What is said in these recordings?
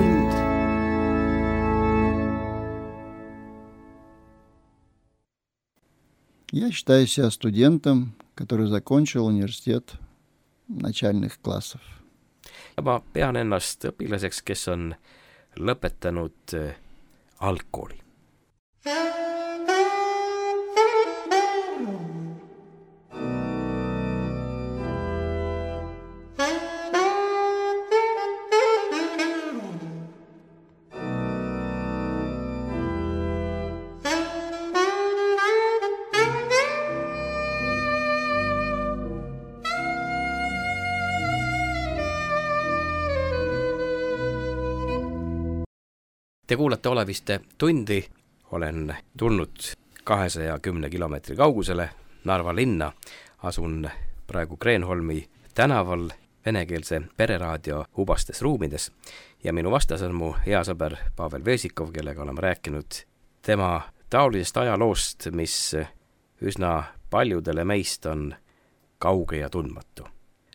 Tund. Я считаю себя студентом, который закончил университет начальных классов. Ma pean ennast õpilaseks, kes on lõpetanud algkooli. Te kuulate Oleviste tundi, olen tulnud 210 kilomeetri kaugusele Narva linna, asun praegu Kreenholmi tänaval venekeelse pereraadio hubastes ruumides ja minu vastas on mu hea sõber Pavel Vesikov, kellega oleme rääkinud tema taolisest ajaloost, mis üsna paljudele meist on kauge ja tundmatu,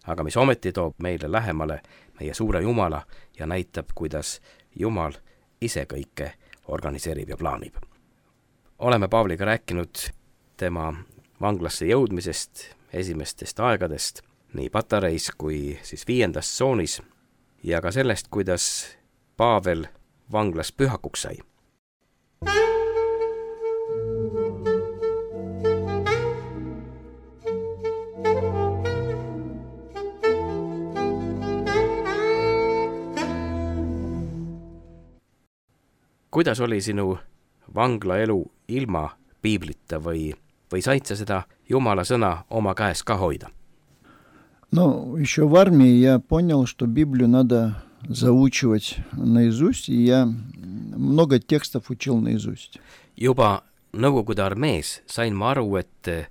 aga mis ometi toob meile lähemale meie suure Jumala ja näitab, kuidas Jumal ise kõike organiseerib ja plaanib. Oleme Pavliga rääkinud tema vanglasse jõudmisest, esimestest aegadest, nii Patareis kui siis 5. tsoonis ja ka sellest, kuidas Pavel vanglas pühakuks sai. Kuidas oli sinu vanglaelu ilma piiblita või said sa seda Jumala sõna oma käes ka hoida? Но еще в армии я понял, что Библию надо заучивать наизусть, и я много текстов учил наизусть. Juba Nõukogude armees sain ma aru, et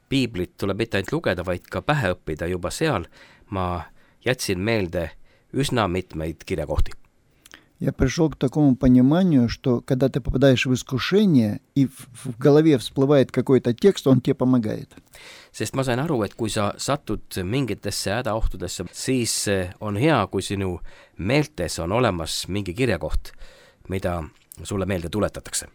piiblit tuleb mitte ainult lugeda, vaid ka pähe õppida. Juba seal ma jätsin meelde üsna mitmeid kirjakohti. Я пришел к такому пониманию, что когда ты попадаешь в искушение, и в голове всплывает какой-то текст, он тебе помогает. Sest ma sain aru, et kui sa satud mingitesse hädaohtudesse, siis on hea, kui sinu meeltes on olemas mingi kirjakoht, mida sulle meelde tuletatakse.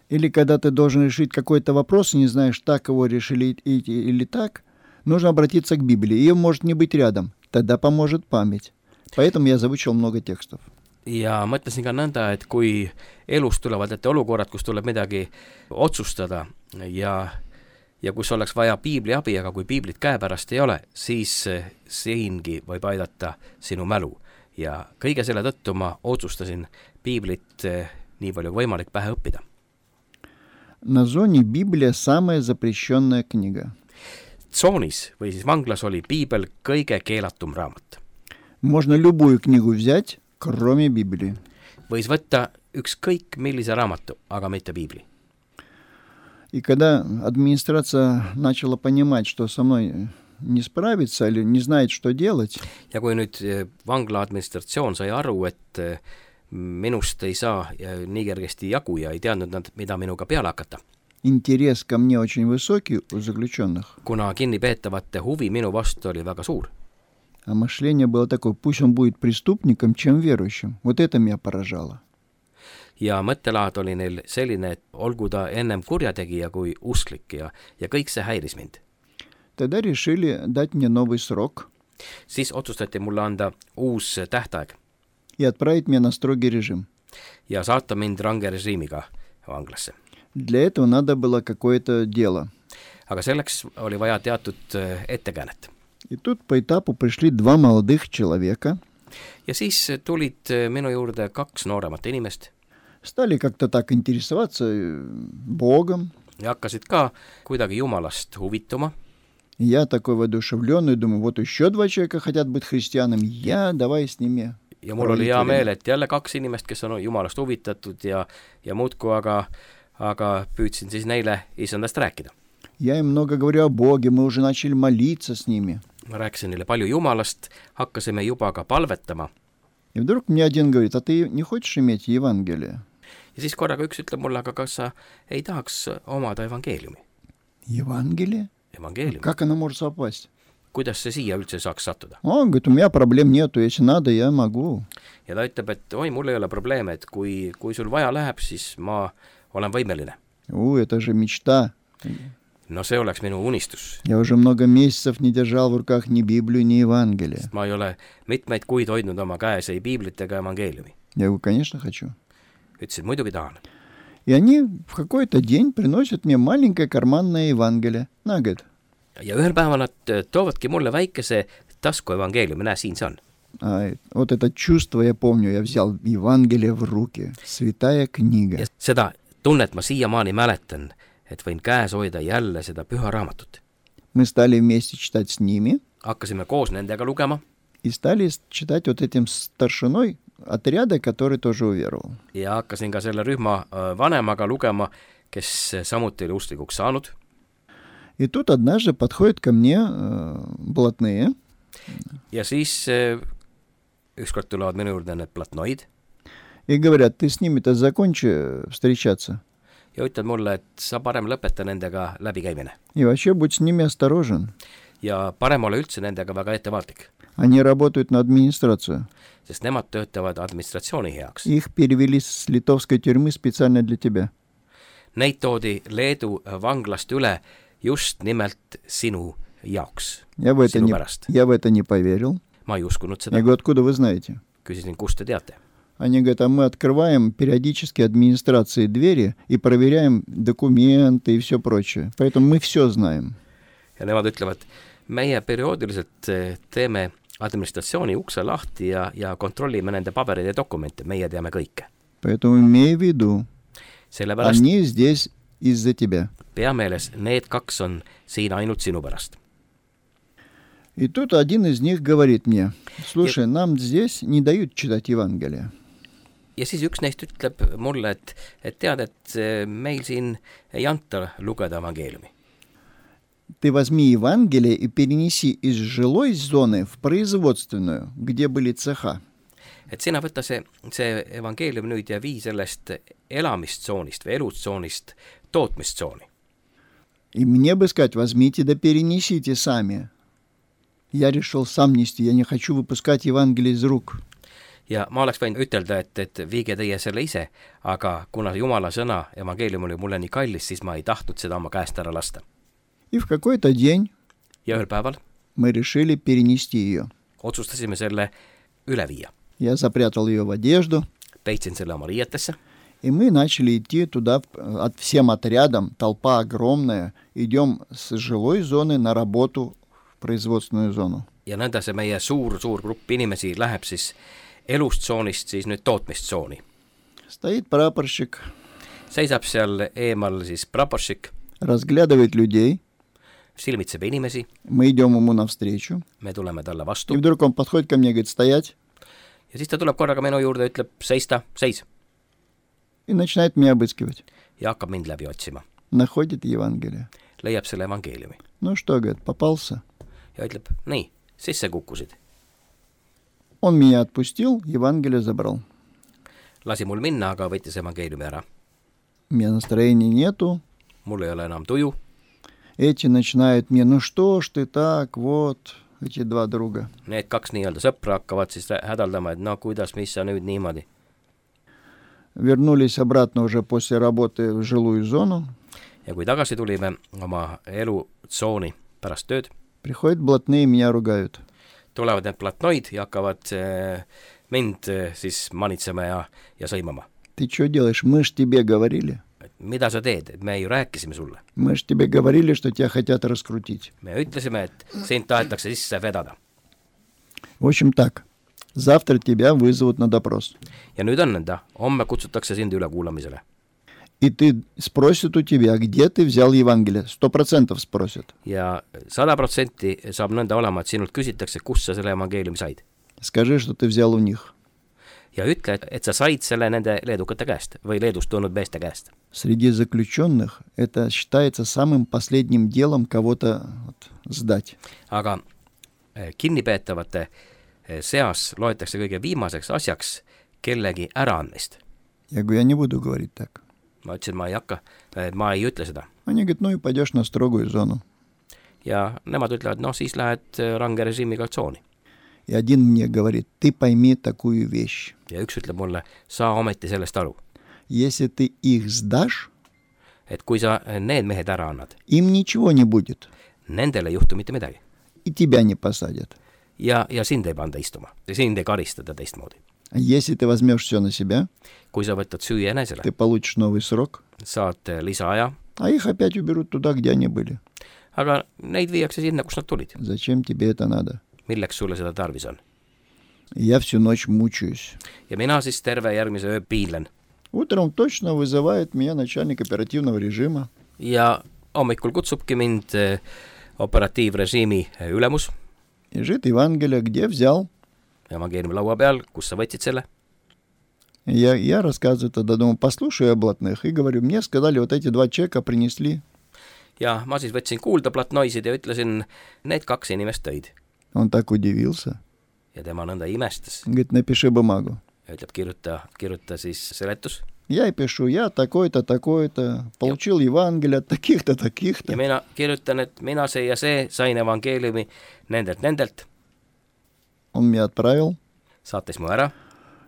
Или когда ты должен решить какой-то вопрос, и не знаешь, так его решили или так, нужно обратиться к Библии. Ее может не быть рядом, тогда поможет память. Поэтому я заучил много текстов. Ja mõtlesin ka nõnda, et kui elus tulevad ette olukorrad, kus tuleb midagi otsustada ja kus oleks vaja piibli abi, aga kui piiblit käepärast ei ole, siis siingi võib aidata sinu mälu. Ja kõige selle tõttu ma otsustasin piiblit nii palju võimalik pähe õppida. На зоне Библия самая запрещенная книга. Tsoonis või siis vanglas oli piibel kõige keelatum raamat. Можно любую книгу взять, кроме Библии. Võis võtta ükskõik millise raamatu, aga mitte piibli. И когда администрация начала понимать, что со мной не справится или не знает, что делать, ja kui nüüd vangla administratsioon sai aru, et minust ei saa nii kergesti jagu ja ei teadnud nad, mida minuga peale hakata. интерес ко мне очень высокий у заключенных. Kuna kinnipeetavate huvi minu vastu oli väga suur. А мышление было такое, пусть он будет преступником, чем верующим. Вот это меня поражало. Ja mõttelaad oli neil selline, et olgu ta ennem kurjategija kui usklik ja kõik see häiris mind. Тогда решили дать мне новый срок Siis otsustati mulle anda uus tähtaeg и отправить меня на строгий режим. ja saata mind range režiimiga vanglasse. Для этого надо было какое-то дело. Aga selleks oli vaja teatud ettekäänet. И тут по этапу пришли два молодых человека. Ja siis tulid minu juurde 2 nooremat inimest. Стали как-то так интересоваться Богом. Ja hakkasid ka kuidagi Jumalast huvituma. Я такой воодушевленный, думаю, вот еще 2 человека хотят быть христианами, давай с ними. Ja mul oli hea meel, et jälle 2 inimest, kes on Jumalast huvitatud ja muudku, aga püüdsin siis neile isandast rääkida. Я им много говорю о Боге, мы уже начали молиться с ними. Ma rääkisin neile palju Jumalast, hakkasime juba ka palvetama. И вдруг мне один говорит, а ты не хочешь иметь Евангелие? Ja siis korraga üks ütleb mulle, aga kas sa ei tahaks omada evangeeliumi? Евангелие? Evangeeliumi. Как оно может совпасть? kuidas see siia üldse saaks sattuda? Он говорит, у меня проблем нету, если надо, я могу. Ja ta ütleb, et oi, mul ei ole probleeme, et kui sul vaja läheb, siis ma olen võimeline. Это же мечта. No see oleks minu unistus. Я уже много месяцев не держал в руках ни Библию, ни Евангелие. Ma ei ole mitmeid kuid hoidnud oma käes ei piiblit ega evangeeliumi. Я говорю, конечно, хочу. Ütlesin, muidugi tahan. И они в какой-то день приносят мне маленькое карманное Евангелие. На, говорит. Ja ühel päeval nad toovadki mulle väikese tasku evangeeliumi, näe, siin see on. Вот это чувство я помню, я взял Евангелие в руки. Святая книга. Ja seda tunnet ma siiamaani mäletan, et võin käes hoida jälle seda püha raamatut. Мы стали вместе читать с ними. Hakkasime koos nendega lugema. И стали читать вот этим старшиной отряда, который тоже уверовал. Ja hakkasin ka selle rühma vanemaga lugema, kes samuti oli usklikuks saanud. И тут однажды подходят ко мне блатные. Ja siis ükskord tulevad minu juurde need platnoid. И говорят, ты с ними-то закончи встречаться. Ja ütled mulle, et sa parem lõpeta nendega läbikäimine. И вообще будь с ними осторожен. Ja parem ole üldse nendega väga ettevaatlik. Они работают на администрацию. Sest nemad töötavad administratsiooni heaks. Их перевели с литовской тюрьмы специально для тебя. Neid toodi Leedu vanglast üle just nimelt sinu jaoks, Я в это не поверил. Ma ei uskunud seda. Я говорю, откуда вы знаете? Küsisin, kust te teate? Они говорят, а мы открываем периодически администрации двери и проверяем документы и все прочее. Поэтому мы все знаем. Ja nemad ütlevad, meie perioodiliselt teeme administratsiooni ukse lahti ja kontrollime nende pabereid ja dokumente. Meie teame kõike. Поэтому имей в виду, Sellepärast они здесь из-за тебя. Pea meeles, need kaks on siin ainult sinu pärast. И тут один из них говорит мне, слушай, нам здесь не дают читать Евангелие. Ja siis üks neist ütleb mulle, et tead, et meil siin ei anta lugeda evangeeliumi. Ты возьми Евангелие и перенеси из жилой зоны в производственную, где были цеха. Et sina võtta see evangeelium nüüd ja vii sellest elamistsoonist või elutsoonist tootmistsooni. И мне бы сказать, возьмите да перенесите сами. Я решил сам нести, я не хочу выпускать Евангелие из рук. Ja ma oleks võinud ütelda, et viige teie selle ise, aga kuna Jumala sõna evangeelium oli mulle nii kallis, siis ma ei tahtnud seda oma käest ära lasta. И в какой-то день Ja ühel päeval мы решили перенести ее. otsustasime selle üle viia. Я запрятал ее в одежду. Peitsin selle oma riietesse. И мы начали идти туда всем отрядом, толпа огромная. Идем с жилой зоны на работу в производственную зону. Ja nõnda see meie suur grupp inimesi läheb siis elustsoonist siis nüüd tootmistsooni. Стоит прапорщик. Seisab seal eemal siis praporšik. Разглядывает людей. Silmitseb inimesi. Мы идем ему навстречу. Me tuleme talle vastu. И вдруг он подходит ко мне и говорит, стоять. Ja siis ta tuleb korraga minu juurde ja ütleb, seis. И начинает меня обыскивать. Ja hakkab mind läbi otsima. Находит Евангелие. Leiab selle evangeeliumi. Ну что, говорит, попался. Ja ütleb, nii, sisse kukkusid. Он меня отпустил, Евангелие забрал. Lasi mul minna, aga võttis evangeeliumi ära. У меня настроения нету. Mul ei ole enam tuju. Эти начинают мне, ну что ж ты так, вот, эти два друга. Need kaks nii-öelda sõpra hakkavad siis hädaldama, et no kuidas, mis sa nüüd niimoodi. Вернулись обратно уже после работы в жилую зону. Ja kui tagasi tulime oma elutsooni pärast tööd, приходят блатные и меня ругают. Tulevad need platnoid ja hakkavad mind siis manitsema ja sõimama. Ты что делаешь? Мы ж тебе говорили. Mida sa teed? Me ju rääkisime sulle. Мы ж тебе говорили, что тебя хотят раскрутить. Me ütlesime, et sind tahetakse sisse vedada. В общем так, завтра тебя вызовут на допрос. Ja nüüd on nõnda, homme kutsutakse sind üle kuulamisele. И ты спросят у тебя, где ты взял Евангелие. 100% спросят. Ja 100% saab nõnda olema, et sinult küsitakse, kus sa selle evangeeliumi said. Скажи, что ты взял у них. Ja ütle, et sa said selle nende leedukate käest või Leedust tulnud meeste käest. Среди заключенных это считается самым последним делом кого-то сдать. Aga kinnipeetavate seas loetakse kõige viimaseks asjaks kellegi äraandmist. Я говорю, я не буду говорить так. Ma ütlesin, ma ei ütle seda. Они говорят, ну и пойдешь на строгую зону. ja nemad ütlevad, noh, siis lähed range režiimiga tsooni. И один мне говорит, ты пойми такую вещь. Ja üks ütleb mulle, saa ometi sellest aru, Если ты их сдашь, et kui sa need mehed ära annad, им ничего не будет. nendele ei juhtu mitte midagi. И тебя не посадят. Ja sind ei panda istuma, sind ei karistada teistmoodi. А если ты возьмешь все на себя, Kui sa võtad süü enesele, ты получишь новый срок, saad lisaaja, а их опять уберут туда, где они были. aga neid viiakse sinna, kus nad tulid. Зачем тебе это надо? Milleks sulle seda tarvis on? И я всю ночь мучаюсь. Ja mina siis terve järgmise öö piinlen. Утром точно вызывает меня начальник оперативного режима. Ja hommikul kutsubki mind operatiivrežiimi ülemus Лежит Евангелие, где взял. evangeeliumi peal, kus sa võtsid selle. Я рассказываю тогда, думаю, послушаю о блатных. И говорю, мне сказали, вот эти 2 чека принесли. Ja ma siis võtsin kuulda platnoisid ja ütlesin, need 2 inimest tõid. Он так удивился. Ja tema nõnda imestas. Говорит, напиши бумагу. Ja ütleb, kirjuta siis seletus. Я и пишу, я такой-то, такой-то, получил Евангелие от таких-то, таких-то. Ja mina kirjutan, et mina see ja see sain evangeeliumi nendelt. Он меня отправил. Saatis mu ära.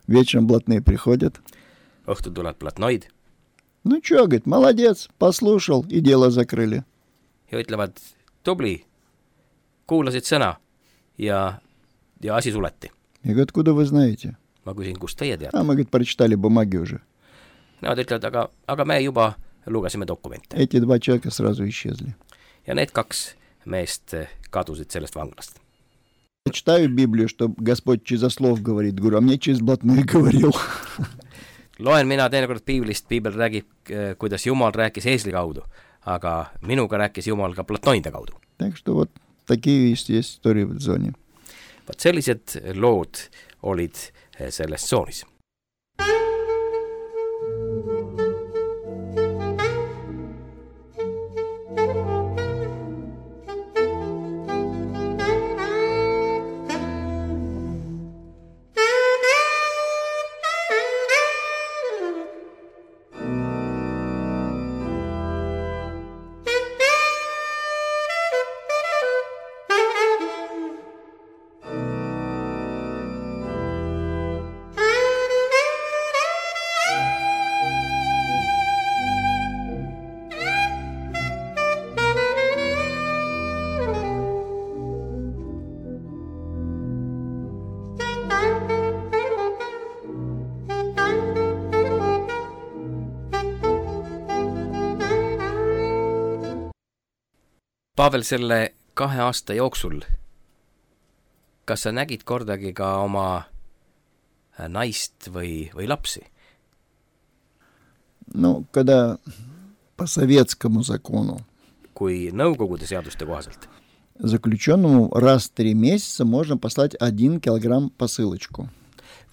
Вечером блатные приходят. Õhtul tuleb platnoid. Ну чё, говорит, молодец, послушал, и дело закрыли. Ja ütlevad, tubli, kuulasid sõna ja asi suleti. Я говорю, откуда вы знаете? Ma küsin, kust teie teate? А мы, говорит, прочитали бумаги уже. Nemad ütlevad, aga me juba lugesime dokumente. Эти 2 человека сразу исчезли. Ja need 2 meest kadusid sellest vanglast. Я читаю Библию, что Господь через слов говорит. Говорю, а мне через блатных говорил. Loen mina teinekord piiblist, piibel räägib, kuidas Jumal rääkis eesli kaudu, aga minuga rääkis Jumal ka platnoide kaudu. Так что вот такие есть истории в зоне. Vaat sellised lood olid selles tsoonis. Pavel, selle 2 aasta jooksul, kas sa nägid kordagi ka oma naist või lapsi? Ну, когда по советскому закону Kui nõukogude seaduste kohaselt заключенному раз в 3 месяца можно послать 1 килограмм посылочку.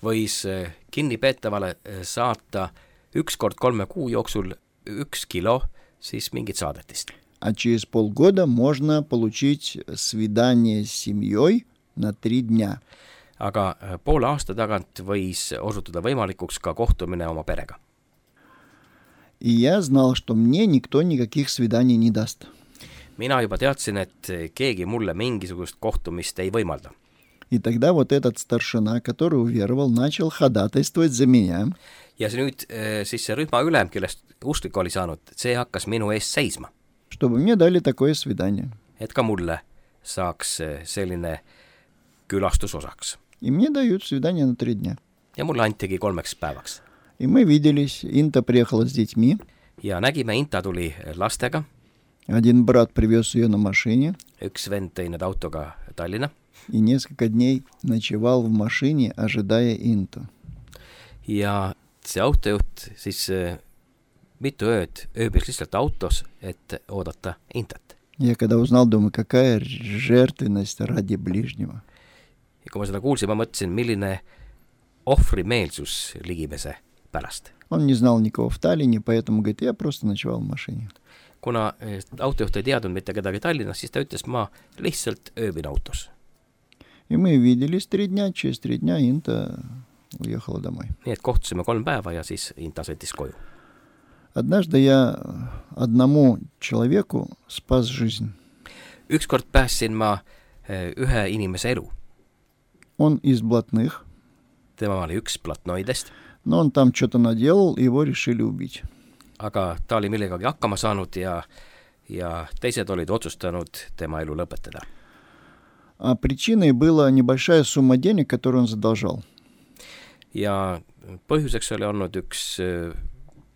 võis kinnipeetavale saata 1 kord 3 kuu jooksul 1 kilo siis mingit saadetist. А через полгода можно получить свидание с семьей на 3 дня. Aga poole aasta tagant võis osutuda võimalikuks ka kohtumine oma perega. И я знал, что мне никто никаких свиданий не даст. Mina juba teadsin, et keegi mulle mingisugust kohtumist ei võimalda. И тогда вот этот старшина, который уверовал, начал ходатайствовать за меня. Ja nüüd siis see rühma ülem, kellest usklik oli saanud, see hakkas minu eest seisma. Чтобы мне дали такое свидание. Et ka mulle saaks selline külastus osaks. И мне дают свидание на 3 дня. Ja mulle antigi 3 päevaks. И мы виделись, Инта приехала с детьми. Ja nägime, Inta tuli lastega. Один брат привез ее на машине. Üks vend tõi need autoga Tallinna. И несколько дней ночевал в машине, ожидая Инту. Ja see autojuht siis mitu ööd ööbis lihtsalt autos, et oodata Intat. Я когда узнал, думаю, какая жертвенность ради ближнего. Ja kui ma seda kuulsin, ma mõtlesin, milline ohvrimeelsus ligimese pärast. Он не знал никого в Таллине, поэтому говорит, я просто ночевал в машине. Kuna autojuht ei teadnud mitte kedagi Tallinnas, siis ta ütles, ma lihtsalt ööbin autos. И мы виделись 3 дня, через 3 дня Инта уехала домой. Nii et kohtusime 3 päeva ja siis Inta sõitis koju. Однажды я одному человеку спас жизнь. ükskord päästsin ma ühe inimese elu. Он из блатных, Tema oli üks platnoidest, но он там что-то наделал, и его решили убить. aga ta oli millegagi hakkama saanud ja teised olid otsustanud tema elu lõpetada. А причиной была небольшая сумма денег, которую он задолжал. Ja põhjuseks oli olnud üks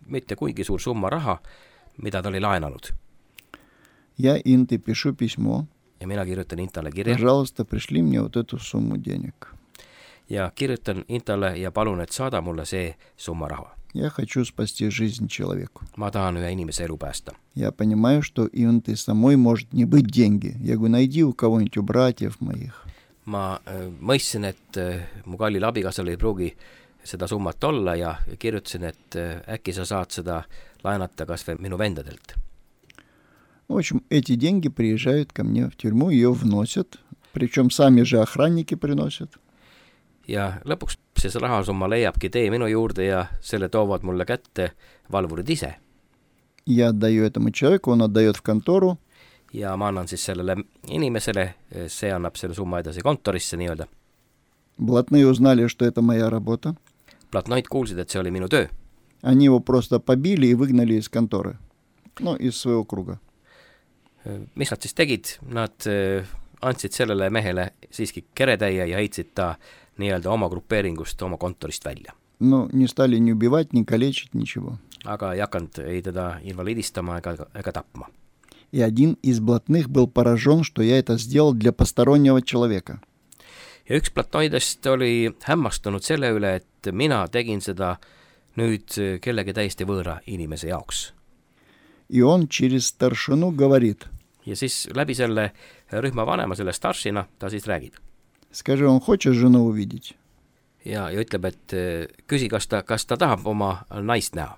mitte kuigi suur summa raha, mida ta oli laenanud. Я Инте пишу письмо. Ja mina kirjutan Intale kirja Пожалуйста, пришли мне вот эту сумму денег. ja kirjutan Intale ja palun, et saada mulle see summa raha. Я хочу спасти жизнь человеку. Ma tahan ühe inimese elu päästa. Я понимаю, что Инте самой может не быть деньги. Я говорю, найди у кого-нибудь, у братьев моих. Ma mõistsin, et mu kallil abikaasal ei pruugi seda summat olla ja kirjutasin, et äkki sa saad seda laenata kas või minu vendadelt. В общем, эти деньги приезжают ко мне в тюрьму, ее вносят, причем сами же охранники приносят. Ja lõpuks see rahasumma leiabki tee minu juurde ja selle toovad mulle kätte valvurid ise. Я отдаю этому человеку, он отдает в контору. Ja ma annan siis sellele inimesele, see annab selle summa edasi kontorisse nii-öelda. Блатные узнали, что это моя работа. Platnoid kuulsid, et see oli minu töö. Они его просто побили и выгнали из конторы. Ну, из своего круга. Mis nad siis tegid? Nad andsid sellele mehele siiski keretäie ja heitsid ta nii-öelda oma grupeeringust, oma kontorist välja. Ну, не стали ни убивать, ни калечить, ничего. Aga ei hakanud ei teda invaliidistama ega tapma. И один из блатных был поражен, что я это сделал для постороннего человека. Ja üks platnoidest oli hämmastunud selle üle, et mina tegin seda nüüd kellegi täiesti võõra inimese jaoks. И он через старшину говорит. Ja siis läbi selle rühma vanema, selle staršina, ta siis räägib. Скажи, он хочет жену увидеть? Ja ütleb, et küsi, kas ta tahab oma naist näha.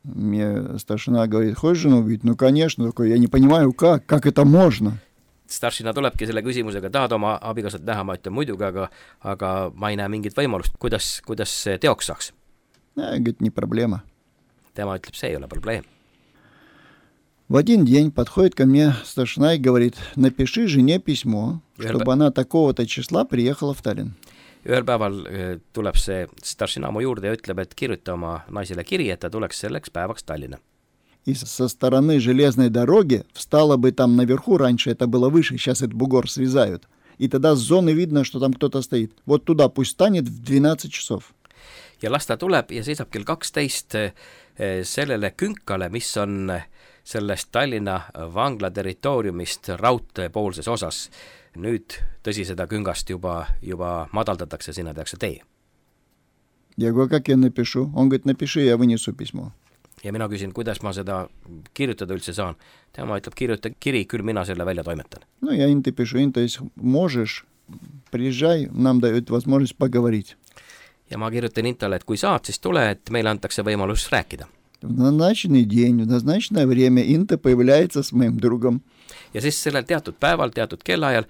Мне старшина говорит, хочешь жену увидеть? Ну, конечно, такой, я не понимаю, как это можно. Staršina tulebki selle küsimusega, tahad oma abikaasat näha, ma ütlen muidugi, aga ma ei näe mingit võimalust, kuidas see teoks saaks. Говорит, не проблема. Tema ütleb, see ei ole probleem. В один день подходит ко мне старшина и говорит, напиши жене письмо, чтобы она такого-то числа приехала в Таллин. Ühel päeval tuleb see staršina mu juurde ja ütleb, et kirjuta oma naisele kiri, et ta tuleks selleks päevaks Tallinna. И со стороны железной дороги встала бы там наверху, раньше это было выше, сейчас этот бугор срезают. И тогда с зоны видно, что там кто-то стоит. Вот туда пусть станет в 12 часов. Ja las ta tuleb ja seisab kell 12 sellele künkale, mis on sellest Tallinna vangla territooriumist raudtee poolses osas. Nüüd tõsi seda küngast juba madaldatakse, sinna tehakse tee. Я говорю, как я напишу? Он говорит, напиши, я вынесу письмо. Ja mina küsin, kuidas ma seda kirjutada üldse saan. Tema ütleb, kirjuta kiri, küll mina selle välja toimetan. Ну, я Инте пишу, Инта, если можешь, приезжай, нам дают возможность поговорить. Ja ma kirjutan Intale, et kui saad, siis tule, et meile antakse võimalus rääkida. В назначенный день, в назначенное время Инта появляется с моим другом. Ja siis sellel teatud päeval, teatud kellaajal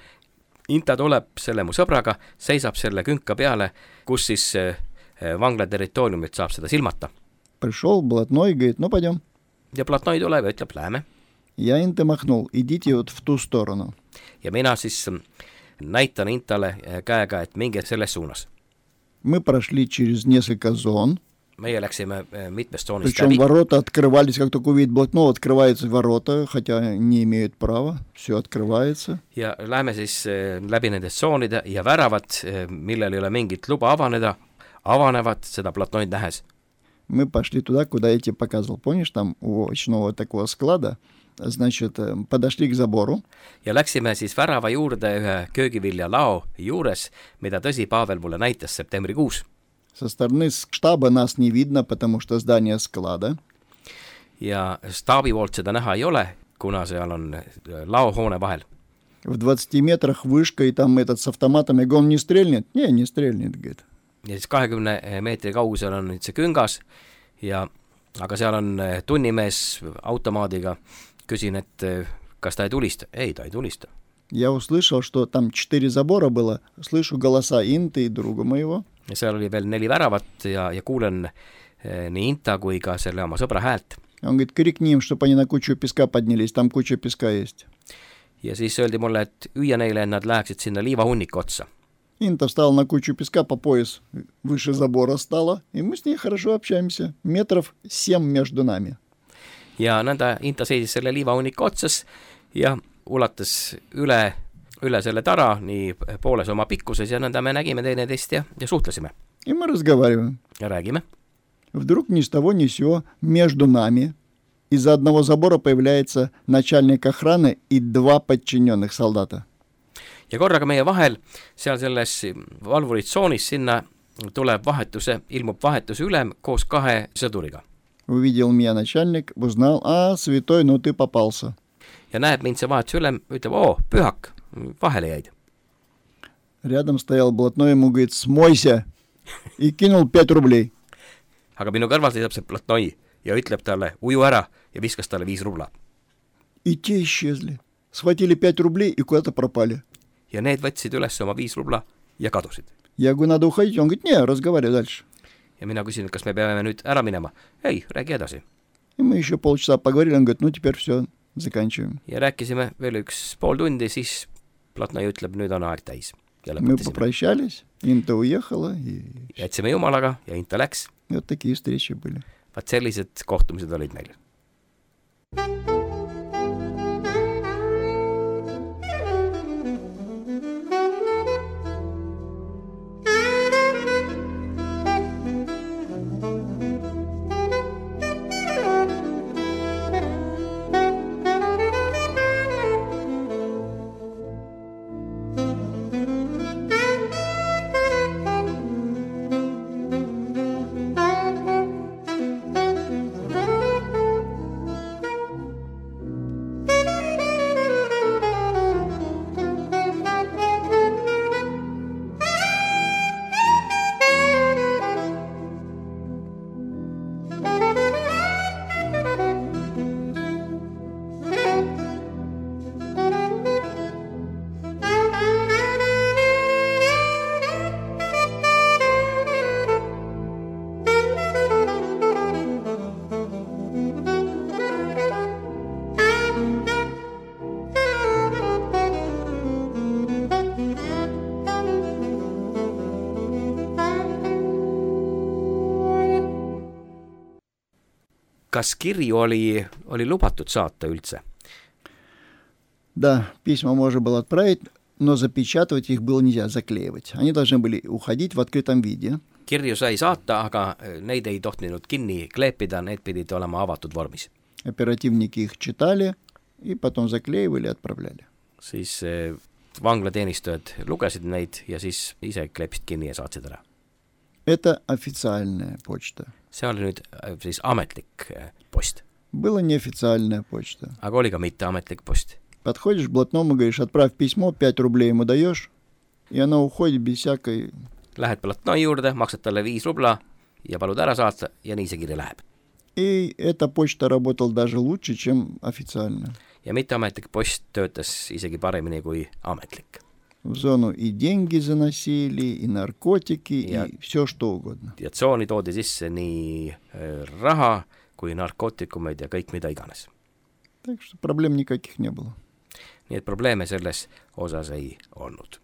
Inta tuleb selle mu sõbraga, seisab selle künka peale, kus siis vangla territooriumit saab seda silmata. Пришел блатной, говорит, ну, пойдем. Ja platnoi tuleb ja ütleb, läheme. Я Инте махнул, идите вот в ту сторону. Ja mina siis näitan Intale käega, et minge selles suunas. Мы прошли через несколько зон. Meie läksime mitmest zoonist Причем läbi. ворота открывались, как только увидит блатного, открываются ворота, хотя не имеют права, все открывается. Ja läheme siis läbi nendest zoonide ja väravad, millel ei ole mingit luba avanevad seda platnoid nähes. Мы пошли туда, куда я тебе показывал. Помнишь, там у очного такого склада, значит, подошли к забору. Ja läksime siis värava juurde ühe köögivilja lao juures, mida tõsi Pavel mulle näitas septembrikuus. Со стороны штаба нас не видно, потому что здание склада. Ja staabi poolt seda näha ei ole, kuna seal on laohoone vahel. В 20 метрах вышка, и там этот с автоматом, я говорю, он не стрельнет? Не стрельнет, говорит. Ja siis 20 meetri kaugusel on nüüd see küngas, aga seal on tunnimees automaadiga. Küsin, et kas ta ei tulista? Ei, ta ei tulista. Я услышал, что там 4 забора было. Слышу голоса Инты и друга моего. Ja seal oli veel 4 väravat ja kuulen nii Inta kui ka selle oma sõbra häält. Он говорит, крикни им, чтобы они на кучу песка поднялись, там куча песка есть. ja siis öeldi mulle, et hüüa neile, et nad läheksid sinna liivahunniku otsa. Инта встала на кучу песка по пояс, выше забора стала, и мы с ней хорошо общаемся. 7 meetrit между нами. Ja nõnda Inta seisis selle liivahunniku otsas ja ulatas üle selle tara nii pooles oma pikkuses ja nõnda me nägime teineteist ja suhtlesime. И мы разговариваем. Ja räägime. Вдруг ни с того ни с сего между нами из-за одного забора появляется начальник охраны и 2 подчиненных солдата. Ja korraga meie vahel, seal selles valvuritsoonis sinna ilmub vahetuse ülem koos 2 sõduriga. Увидел меня начальник, узнал, святой, ну ты попался. Ja näeb mind see vahetuse ülem, ütleb, pühak, vahele jäid. Рядом стоял блатной, ему говорит, смойся, и кинул 5 рублей. Aga minu kõrval seisab see platnoi ja ütleb talle, uju ära ja viskas talle 5 rubla. И те исчезли. Схватили 5 рублей и куда-то пропали. Ja need võtsid üles oma 5 rubla ja kadusid. Я говорю, надо уходить. Он говорит, не, разговаривай дальше. Ja mina küsin, kas me peame nüüd ära minema? Ei, räägi edasi. И мы еще полчаса поговорили, он говорит, ну теперь все, заканчиваем. Ja rääkisime veel 1,5 tundi, siis platnoi ütleb, nüüd on aeg täis. Ja Мы попрощались, Инта уехала. И... Jätsime jumalaga ja Inta läks. И вот такие встречи были. Vaat sellised kohtumised olid meil. Kas kirju oli lubatud saata üldse? Да, письма можно было отправить, но запечатывать их было нельзя, заклеивать. Они должны были уходить в открытом виде. Kirju sai saata, aga neid ei tohtinud kinni kleepida, need pidid olema avatud vormis. Оперативники их читали и потом заклеивали и отправляли. Siis vanglateenistujad lugesid neid ja siis ise kleepsid kinni ja saatsid ära. Это официальная почта. See oli nüüd siis ametlik post. Была неофициальная почта. Aga oli ka mitteametlik post. Подходишь к блатному, говоришь, отправь письмо, 5 рублей ему даешь, и оно уходит без всякой... Lähed platnoi juurde, maksad talle 5 rubla ja palud ära saata ja nii see kirja läheb. И эта почта работала даже лучше, чем официально. Ja mitteametlik post töötas isegi paremini kui ametlik. В зону и деньги заносили, и наркотики, и все что угодно. Ja tsooni toodi sisse nii raha kui narkootikumeid ja kõik mida iganes. Так что проблем никаких не было. Nii et probleeme selles osas ei olnud.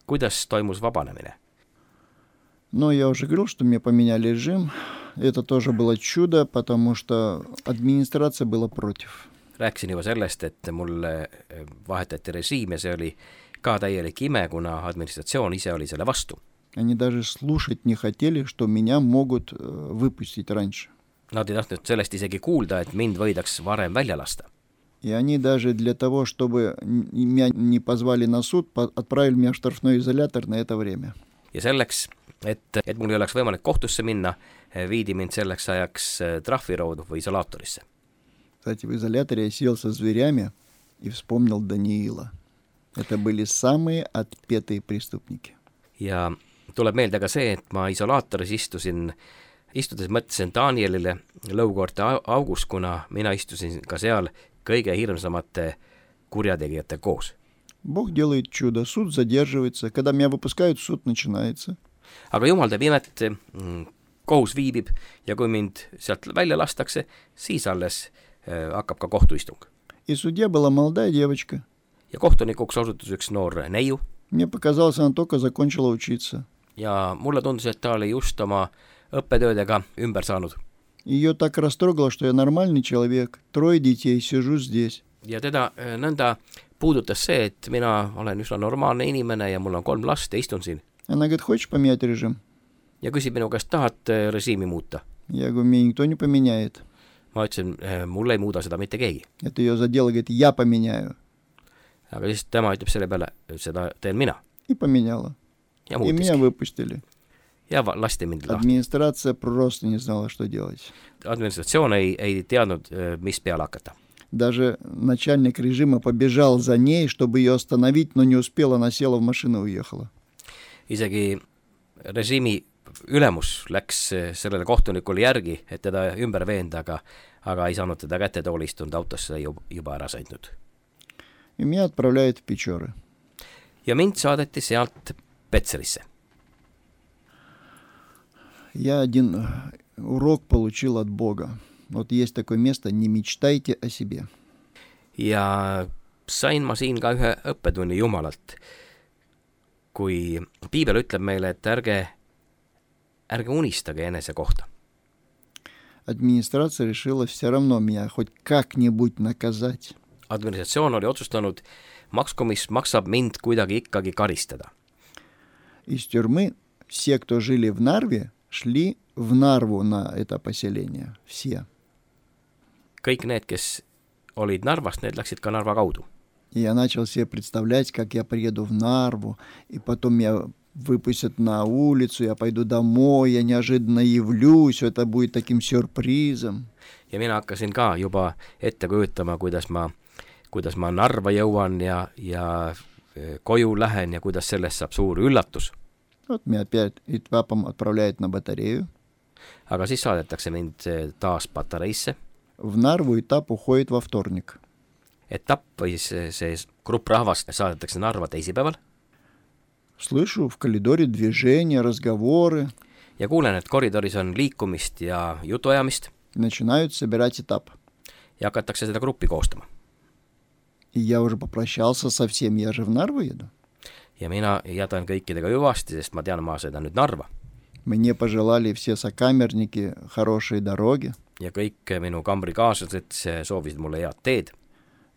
kuidas toimus vabanemine? Но я уже говорил, что мне поменяли режим. Это тоже было чудо, потому что администрация была против. Rääkisin juba sellest, et mulle vahetati režiim ja see oli ka täielik ime, kuna administratsioon ise oli selle vastu. Они даже слушать не хотели, что меня могут выпустить раньше. Nad ei tahtnud sellest isegi kuulda, et mind võidaks varem välja lasta. И они даже для того, чтобы меня не позвали на суд, отправили меня в штрафной изолятор на это время. Ja selleks, et mul ei oleks võimalik kohtusse minna, viidi mind selleks ajaks trahviroodu või isolaatorisse. Кстати, в изоляторе я сидел со зверями и вспомнил Даниила. Это были самые отпетые преступники. Ja tuleb meelde ka see, et ma isolaatoris istudes mõtlesin Danielile lõukoorte augus, kuna mina istusin ka seal kõige hirmsamate kurjategijate koos. Бог делает чудо, суд задерживается. Когда меня выпускают, суд начинается. Aga jumal teeb imet, kohus viibib ja kui mind sealt välja lastakse, siis alles hakkab ka kohtuistung. И судья была молодая девочка. Ja kohtunikuks osutus üks noor neiu. Мне показалось, она только закончила учиться. Ja mulle tundus, et ta oli just oma õppetöödega ümber saanud. Ее так растрогало, что я нормальный человек, 3 детей, сижу здесь. Ja teda nõnda puudutas see, et mina olen üsna normaalne inimene ja mul on 3 last ja istun siin. Она говорит, хочешь поменять режим? Ja küsib minu käest, tahad režiimi muuta? Я говорю, меня никто не поменяет. Ma ütlesin, mul ei muuda seda mitte keegi. Это ее задело, говорит, я поменяю. Aga siis tema ütleb selle peale, seda teen mina. И поменяла. Ja И меня выпустили. Ja lasti mind lahti. Администрация просто не знала, что делать. Administratsioon ei teadnud, mis peale hakata. Даже начальник режима побежал за ней, чтобы ее остановить, но не успел, она села в машину и уехала. Isegi režiimi ülemus läks sellele kohtunikule järgi, et teda ümber veenda, aga ei saanud teda kätte tooli istunud autosse juba ära sõitnud. И меня отправляют в Печоры. Ja mind saadeti sealt Petserisse. Я один урок получил от Бога. Вот есть такое место, не мечтайте о себе. Ja sain ma siin ka ühe õppetunni Jumalalt. Kui Piibel ütleb meile, et ärge unistage enese kohta. Администрация решила все равно меня хоть как-нибудь наказать. Administratsioon oli otsustanud, makskomis maksab mind kuidagi ikkagi karistada. Из тюрьмы все, кто жили в Нарве, шли в Нарву на это поселение. Все. Kõik need, kes olid Narvast, need läksid ka Narva kaudu. И я начал себе представлять, как я приеду в Нарву, и потом меня выпустят на улицу, я пойду домой, я неожиданно явлюсь, это будет таким сюрпризом. Ja mina hakkasin ka juba ette kujutama, kuidas ma Narva jõuan ja koju lähen ja kuidas sellest saab suur üllatus. Вот меня опять этапом отправляют на батарею. Aga siis saadetakse mind taas patareisse. В Нарву этап уходит во вторник. Etapp või see grupp rahvast saadetakse Narva teisipäeval. Слышу в коридоре движения, разговоры. Ja kuulen, et koridoris on liikumist ja jutuajamist. Начинают собирать этап. Ja hakatakse seda gruppi koostama. И я уже попрощался со всем, я же в Нарву еду. Ja mina jätan kõikidega hüvasti, sest ma tean, ma sõidan nüüd Narva. Мне пожелали все сокамерники хорошей дороги. Ja kõik minu kambrikaaslased soovisid mulle head teed.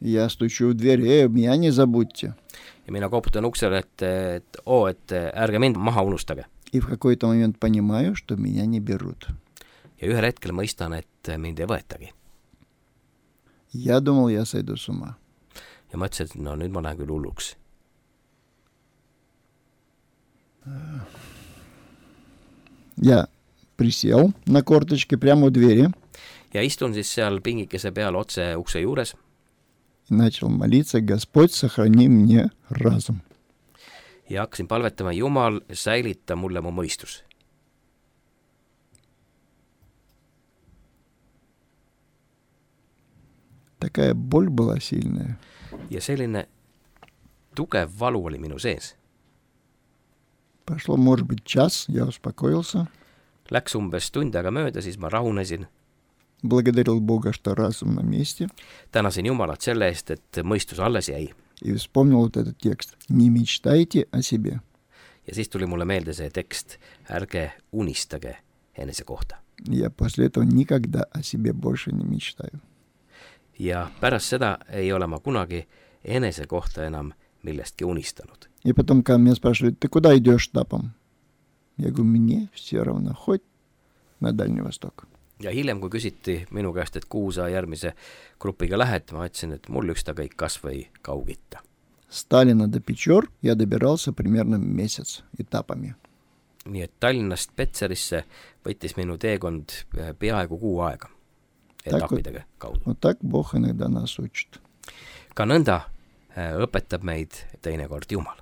Я стучу в дверь, меня не забудьте. Ja mina koputan uksele, et ärge mind maha unustage. И в какой-то момент понимаю, что меня не берут. Ja ühel hetkel mõistan, et mind ei võetagi. Я думал, я сойду с ума. Ja mõtlesin, et no nüüd ma lähen küll hulluks. Я присел на корточке прямо у двери. Ja istun siis seal pingikese peal otse ukse juures. И начал молиться, Господь, сохрани мне разум. Ja hakkasin palvetama, Jumal, säilita mulle mu mõistus. Такая боль была сильная. Ja selline tugev valu oli minu sees. Прошло, может быть, час, я успокоился. Läks umbes tund aega mööda, siis ma rahunesin. Благодарил Бога, что разум на месте. Tänasin Jumalat selle eest, et mõistus alles jäi. И вспомнил вот этот текст. Не мечтайте о себе. ja siis tuli mulle meelde see tekst, ärge unistage enese kohta. Я после этого никогда о себе больше не мечтаю. Ja pärast seda ei ole ma kunagi enese kohta enam millestki unistanud. И потом, когда меня спрашивают, ты куда идешь этапом? Я говорю, мне все равно, хоть на Дальний Восток. Ja hiljem, kui küsiti minu käest, et kuhu sa järgmise grupiga lähed, ma ütlesin, et mul ükskõik kas või Kaug-Itta. Сталина до Печор я добирался примерно месяц этапами. Nii et Tallinnast Petserisse võttis minu teekond peaaegu kuu aega etappidega kaudu. Вот так Бог иногда нас учит. Ka nõnda õpetab meid teinekord Jumal.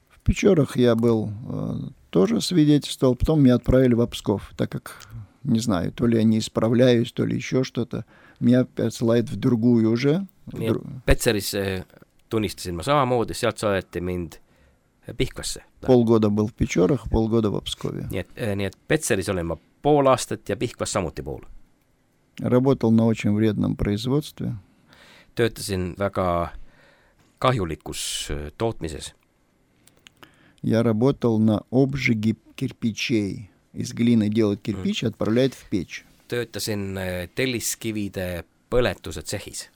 В Печорах я был, тоже свидетельствовал, потом меня отправили в Псков, так как, не знаю, то ли я не исправляюсь, то ли еще что-то. Меня отсылают в другую уже. Petseris tunnistasin ma samamoodi, sealt saadeti mind Pihkvasse. Полгода был в Печорах, полгода в Пскове. Nii et Petseris olin ma pool aastat ja Pihkvas samuti pool. Работал на очень вредном производстве. Töötasin väga kahjulikus tootmises. Я работал на обжиге кирпичей. Из глины делают кирпич и отправляют в печь. Töötasin telliskivide põletuse tsehhis.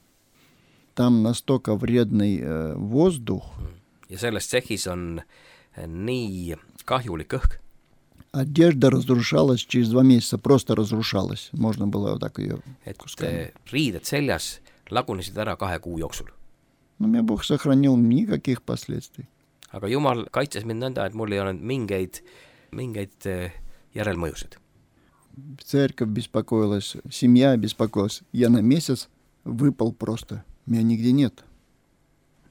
Там настолько вредный воздух. Ja selles tsehhis on nii kahjulik õhk. Одежда разрушалась через 2 месяца, просто разрушалась. Можно было вот так ее кусками. Riided seljas lagunesid ära 2 kuu jooksul. Но меня Бог сохранил, никаких последствий. Aga Jumal kaitses mind nõnda, et mul ei olnud mingeid järelmõjusid. Церковь беспокоилась, семья беспокоилась. Я на месяц выпал просто. Меня нигде нет.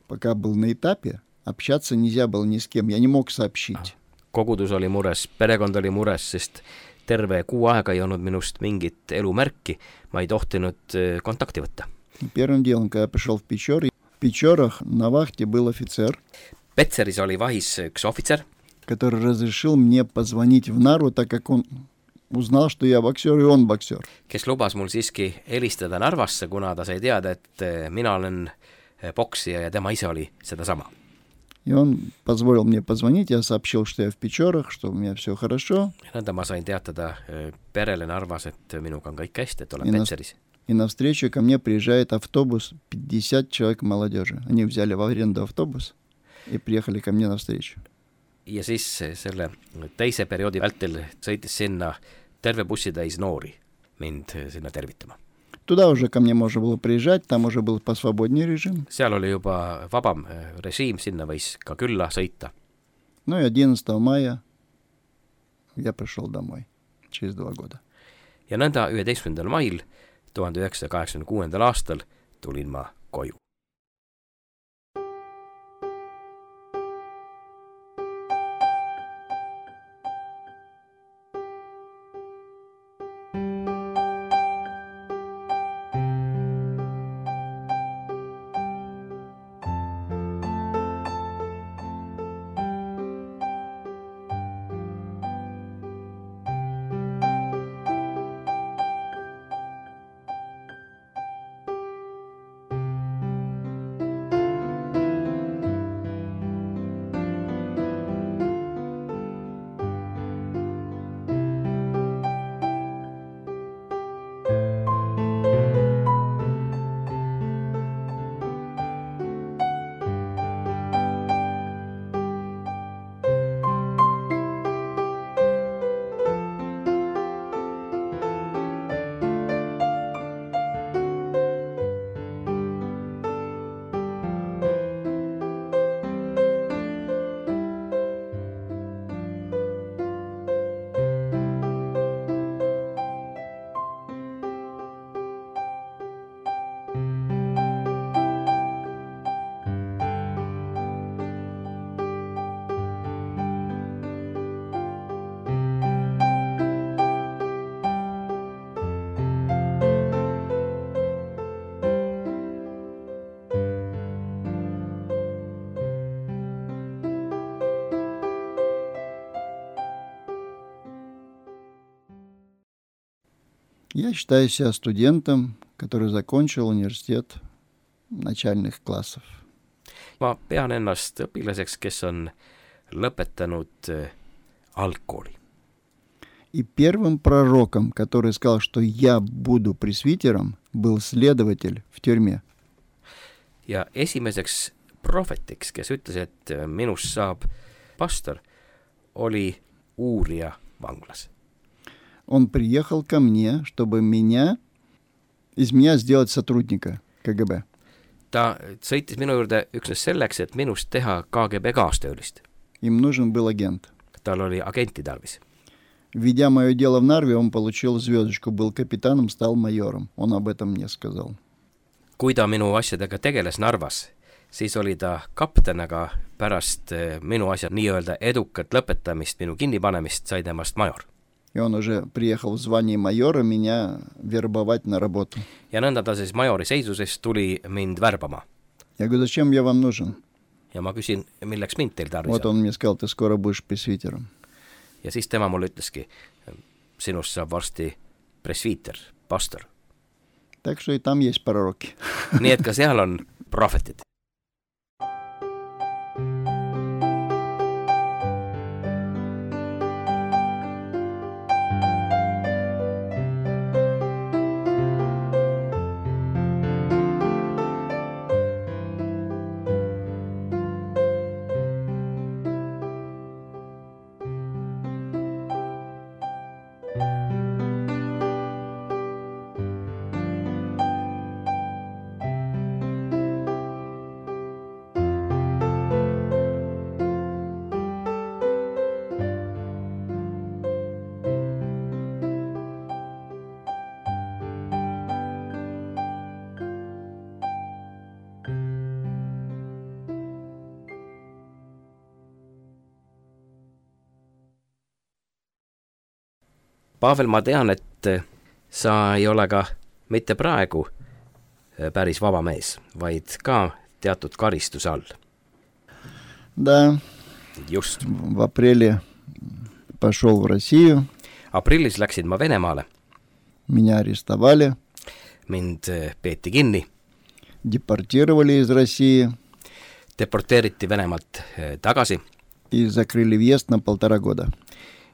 Пока был на этапе, общаться нельзя было ни с кем. Я не мог сообщить. Kogudus oli mures, perekond oli mures, sest terve kuu aega ei olnud minust mingit elumärki. Ma ei tohtinud kontakti võtta. Первым делом, когда я пришел в Печоры, в Печорах на вахте был офицер. Petseris oli vahis üks ohvitser, который разрешил мне позвонить в Нарву, так как он узнал, что я боксер, и он боксер. Kes lubas mul siiski helistada Narvasse, kuna ta sai teada, et mina olen poksija ja tema ise oli seda sama. И он позволил мне позвонить, я сообщил, что я в Печорах, что у меня все хорошо. Nõnda ma sain teatada perele Narvas, et minuga on kõik hästi, et olen Petseris. И навстречу ко мне приезжает автобус, 50 человек молодежи. Они взяли в аренду автобус и приехали ко мне навстречу. Ja siis selle teise perioodi vältel sõitis sinna terve bussitäis noori mind sinna tervitama. Туда уже ко мне можно было приезжать, там уже был посвободнее режим. Seal oli juba vabam režiim, sinna võis ka külla sõita. Ну и 11 мая я пришел домой через 2 года. Ja nõnda 11. mail 1986. aastal tulin ma koju. Я считаю себя студентом, который закончил университет начальных классов. Ma pean ennast õpilaseks, kes on lõpetanud algkooli. И первым пророком, который сказал, что я буду пресвитером, был следователь в тюрьме. Ja esimeseks prohvetiks, kes ütles, et minust saab pastor, oli uurija vanglas. Он приехал ко мне, чтобы из меня сделать сотрудника КГБ. Ta sõitis minu juurde üksnes selleks, et minust teha KGB kaastöölist. Им нужен был агент. Tal oli agenti tarvis. Введя мое дело в Нарве, он получил звездочку, был капитаном, стал майором. Он об этом мне сказал. Kui ta minu asjadega tegeles Narvas, siis oli ta kapten, aga pärast minu asjad nii-öelda edukat lõpetamist, minu kinnipanemist, sai temast major. И он уже приехал в звании майора меня вербовать на работу. Ja nõnda ta siis majori seisuses tuli mind värbama. Я говорю, зачем я вам нужен? Ja ma küsin, milleks mind teil tarvis Вот он мне сказал, ты скоро будешь пресвитером. Ja siis tema mulle ütleski, sinust saab varsti presviiter, pastor. Так что и там есть пророки. Nii et ka seal on prohvetid. Pavel, ma tean, et sa ei ole ka mitte praegu päris vaba mees, vaid ka teatud karistuse all. Да. Just. В апреле пошел в Россию. Aprillis läksin ma Venemaale. Меня арестовали. Mind peeti kinni. Депортировали из России. deporteeriti Venemaalt tagasi. И закрыли въезд на 1,5 года.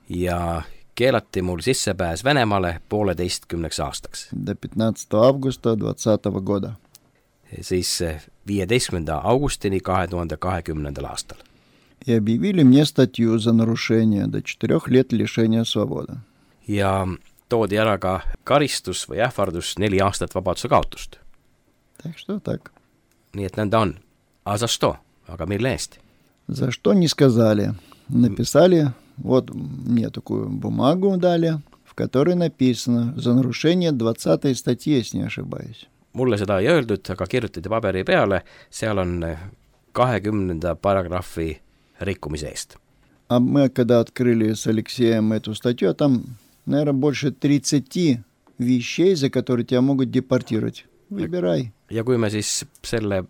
Ja keelati mul sissepääs Venemaale 1,5 aastaks. До 15 августа 2020 года. Siis 15. augustini 2020. aastal. И объявили мне статью за нарушение до 4 лет лишения свободы. Ja toodi ära ka karistus või ähvardus 4 aastat vabaduse kaotust. Так что так. Nii et nõnda on. A za što? Aga mille eest? За что не сказали. Написали, вот мне такую бумагу дали, в которой написано за нарушение 20 статьи, если не ошибаюсь. Mulle seda ei öeldud, aga kirjutati paberi peale, seal on 20. paragrahvi rikkumise eest. А мы, когда открыли с Алексеем эту статью, там, наверное, больше 30 вещей, за которые тебя могут депортировать. Выбирай. Ja kui me siis selle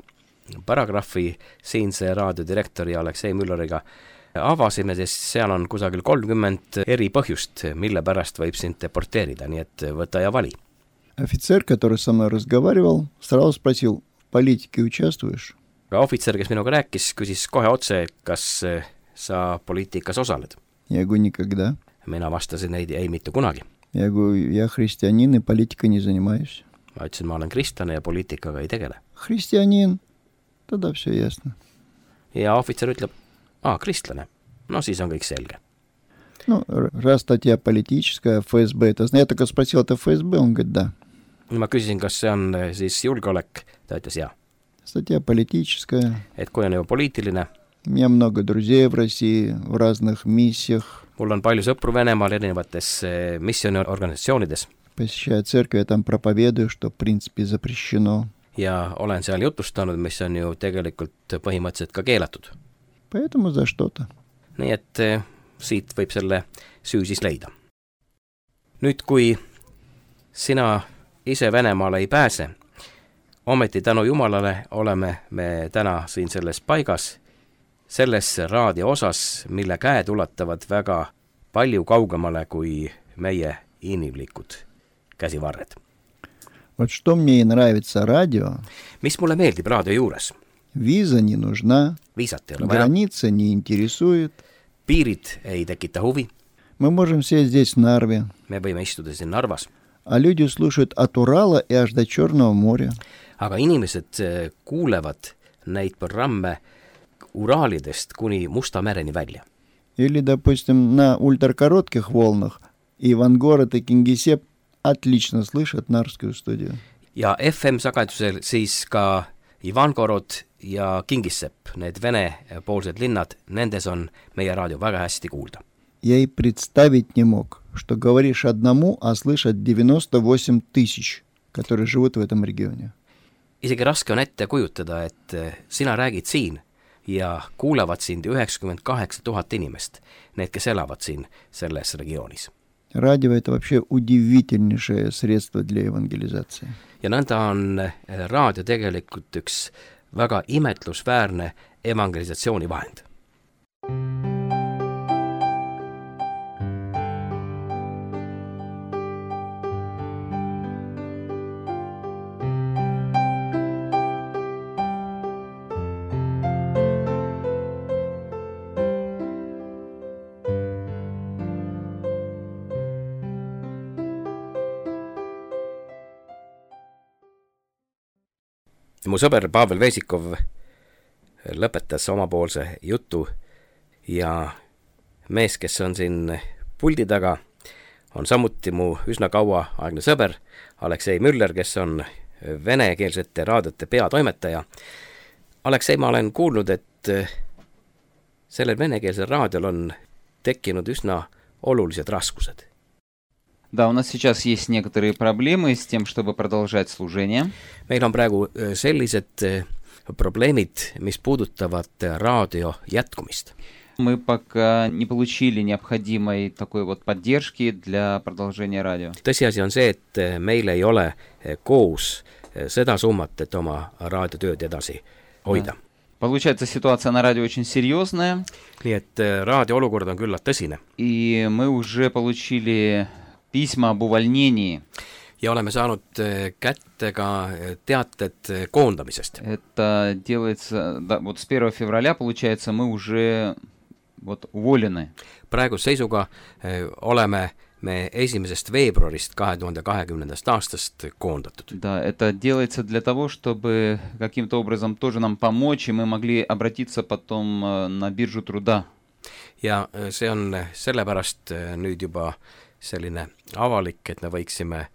paragrahvi siinse raadiodirektori Aleksei Mülleriga avasime, siis seal on kusagil 30 eri põhjust, mille pärast võib sind deporteerida, nii et võta ja vali. Офицер, который со мной разговаривал, сразу спросил, в политике участвуешь? Aga ohvitser, kes minuga rääkis, küsis kohe otse, kas sa poliitikas osaled. Я говорю, никогда. Mina vastasin ei mitte kunagi. Я говорю, я христианин и политикой не занимаюсь. Ma ütlesin, ma olen kristlane ja poliitikaga ei tegele. Христианин, тогда все ясно. Ja ohvitser ütleb, kristlane. No siis on kõik selge. Ну, раз статья политическая, ФСБ, это... Я только спросил, это ФСБ? Он говорит, да. Ma küsisin, kas see on siis julgeolek, ta ütles jaa. Статья политическая. Et kui on juba poliitiline. У меня много друзей в России, в разных миссиях. Mul on palju sõpru Venemaal erinevates missiooniorganisatsioonides. Посещаю церковь, я там проповедую, что в принципе запрещено. Ja olen seal jutustanud, mis on ju tegelikult põhimõtteliselt ka keelatud. Поэтому за что-то. Nii et siit võib selle süü siis leida. Nüüd, kui sina ise Venemaale ei pääse, ometi tänu Jumalale oleme me täna siin selles paigas, selles raadio osas, mille käed ulatavad väga palju kaugemale kui meie inimlikud käsivarred. Вот что мне и нравится радио. Mis mulle meeldib raadio juures? Виза не нужна, Viisat ei ole vaja, граница не интересует. piirid ei tekita huvi, Мы можем сесть здесь в Нарве, me võime istuda siin Narvas, а люди слушают от Урала и аж до Черного моря. aga inimesed kuulevad neid programme Uraalidest kuni Musta mereni välja. Или, допустим, на ультракоротких волнах Ивангород и Кингисепп отлично слышат Нарвскую студию. Ja FM-sagedusel siis ka Ivangorod ja Kingissepp, need vene-poolsed linnad, nendes on meie raadio väga hästi kuulda. Я и представить не мог, что говоришь одному, а слышат 98 000, которые живут в этом регионе. Isegi raske on ette kujutada, et sina räägid siin ja kuulavad sind 98 000 inimest, need, kes elavad siin selles regioonis. Радио – это вообще удивительнейшее средство для евангелизации. Ja nõnda on raadio tegelikult üks väga imetlusväärne evangelisatsiooni vahend. Mu sõber Pavel Vesikov lõpetas omapoolse jutu ja mees, kes on siin puldi taga, on samuti mu üsna kauaaegne sõber Aleksei Müller, kes on venekeelsete raadiote peatoimetaja. Aleksei, ma olen kuulnud, et sellel venekeelsel raadiol on tekkinud üsna olulised raskused. Да, у нас сейчас есть некоторые проблемы с тем, чтобы продолжать служение. Meil on praegu sellised probleemid, mis puudutavad raadio jätkumist. Мы пока не получили необходимой такой вот поддержки для продолжения радио. Tõsiasi on see, et meil ei ole koos seda summat, et oma raadiotööd edasi hoida. Получается, ситуация на радио очень серьезная. Nii et raadio olukord on küllalt tõsine. И мы уже получили письма об увольнении. ja oleme saanud kätte ka teated koondamisest. Это делается, да, вот с 1 февраля, получается, мы уже вот уволены. Praegu seisuga oleme me 1. veebruarist 2020. aastast koondatud. Да, это делается для того, чтобы каким-то образом тоже нам помочь, и мы могли обратиться потом на биржу труда. Ja see on sellepärast nüüd juba selline avalik, et me võiksime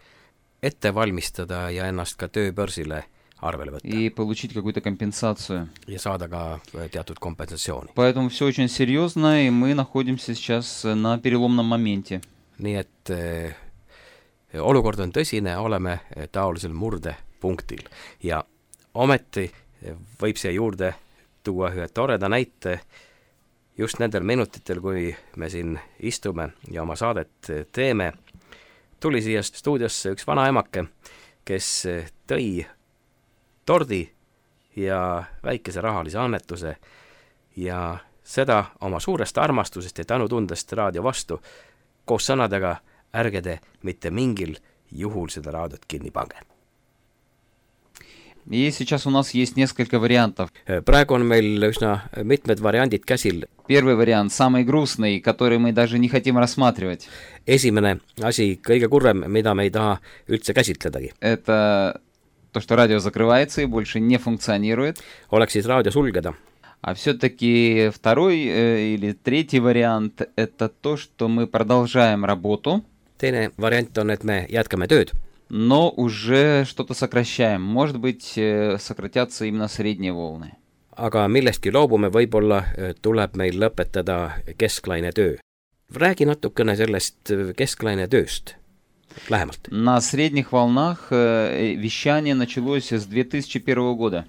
ette valmistada ja ennast ka tööbörsile arvele võtta. И получить какую-то компенсацию. Ja saada ka teatud kompensatsiooni. Поэтому все очень серьезно, и мы находимся сейчас на переломном моменте. Nii et olukord on tõsine, oleme taolisel murdepunktil. Ja ometi võib siia juurde tuua ühe toreda näite. Just nendel minutitel, kui me siin istume ja oma saadet teeme, tuli siia stuudiosse üks vanaemake, kes tõi tordi ja väikese rahalise annetuse ja seda oma suurest armastusest ja tänutundest raadio vastu koos sõnadega: ärge te mitte mingil juhul seda raadiot kinni pange. И сейчас у нас есть несколько вариантов. Praegu on meil üsna mitmed variandid käsil. Первый вариант, самый грустный, который мы даже не хотим рассматривать. Esimene asi, kõige kurvem, mida me ei taha üldse käsitledagi. Это то, что радио закрывается и больше не функционирует. Oleks siis raadio sulgeda. А все-таки второй или третий вариант – это то, что мы продолжаем работу. Teine variant on, et me jätkame tööd. Но уже что-то сокращаем. Может быть, сократятся именно средние волны. Aga millestki loobume, võib-olla tuleb meil lõpetada kesklaine töö. Räägi natukene sellest kesklaine tööst lähemalt. На средних волнах вещание началось с 2001 года.